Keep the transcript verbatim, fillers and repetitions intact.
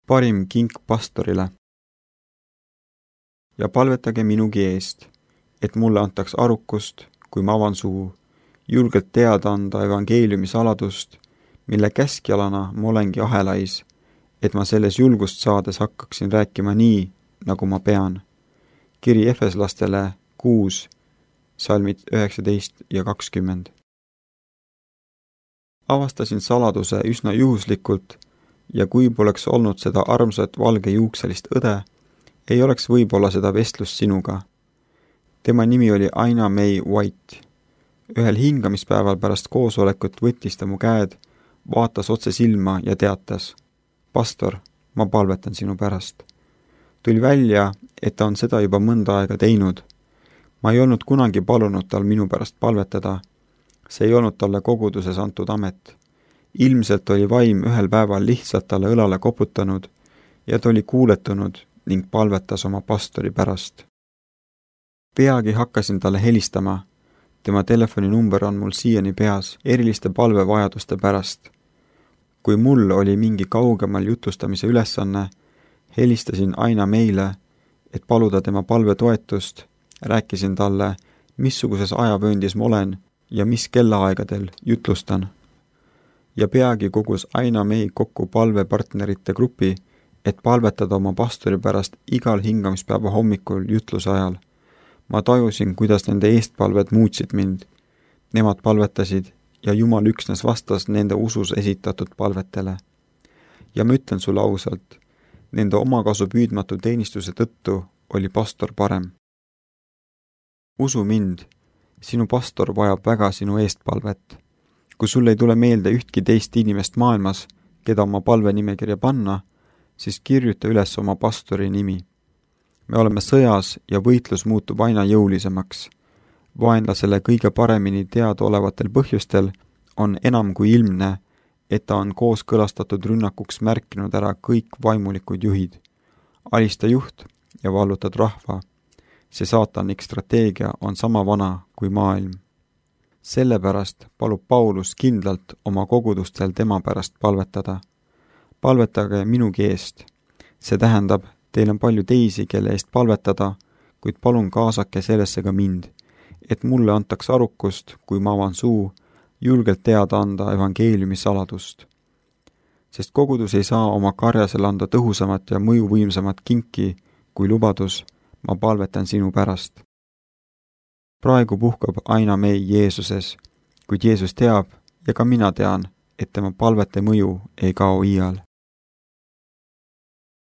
parim kink pastorile. Ja palvetage minugi eest, et mulle antaks arukust, kui ma avan suu, julgelt teada anda evangeeliumi saladust, mille käskjalana ma olengi ahelais, et ma selles julgust saades hakkaksin rääkima nii, nagu ma pean. Kiri Efeslastele kuus, salmid üheksateist ja kakskümmend. Avastasin saladuse üsna juhuslikult ja kui poleks olnud seda armsat valgejuukselist õde, ei oleks võib-olla seda vestlust sinuga. Tema nimi oli Aina May White. Ühel hingamispäeval pärast koosolekut võttis ta mu käed, vaatas otse silma ja teatas: Pastor, ma palvetan sinu pärast. Tuli välja, et ta on seda juba mõnda aega teinud. Ma ei olnud kunagi palunud tal minu pärast palvetada. See ei olnud talle koguduses antud amet. Ilmselt oli vaim ühel päeval lihtsalt talle õlale koputanud ja ta oli kuuletunud ning palvetas oma pastori pärast. Peagi hakkasin talle helistama. Tema telefoninumber on mul siiani peas eriliste palvevajaduste pärast. Kui mul oli mingi kaugemal jutlustamise ülesanne, helistasin Aina meile, et paluda tema palvetoetust, rääkisin talle, missuguses ajavööndis ma olen ja mis kellaaegadel jutlustan. Ja peagi kogus Aina May kokku palvepartnerite grupi, et palvetada oma pastori pärast igal hingamispäeva hommikul jutluse ajal. Ma tajusin, kuidas nende eestpalved muutsid mind. Nemad palvetasid ja Jumal üksnes vastas nende usus esitatud palvetele. Ja ma ütlen sulle ausalt, nende omakasu püüdmatu teenistuse tõttu oli pastor parem. Usu mind, sinu pastor vajab väga sinu eestpalvet. Kui sul ei tule meelde ühtki teist inimest maailmas, keda oma palvenimekirja panna, siis kirjuta üles oma pastori nimi. Me oleme sõjas ja võitlus muutub aina jõulisemaks. Vaenlasele kõige paremini teada olevatel põhjustel on enam kui ilmne, et ta on kooskõlastatud rünnakuks märkinud ära kõik vaimulikud juhid. Alista juht ja vallutad rahva. See saatanik strateegia on sama vana kui maailm. Sellepärast palub Paulus kindlalt oma kogudustel tema pärast palvetada. Palvetage minugi eest. See tähendab, teil on palju teisi, kelle eest palvetada, kuid palun kaasake sellesse ka mind, et mulle antaks arukust, kui ma avan suu, julgelt teada anda evangeeliumi saladust. Sest kogudus ei saa oma karjasele anda tõhusamat ja mõjuvõimsamat kinki, kui lubadus, ma palvetan sinu pärast. Praegu puhkab Aina May Jeesuses, kuid Jeesus teab ja ka mina tean, et tema palvete mõju ei kao iial.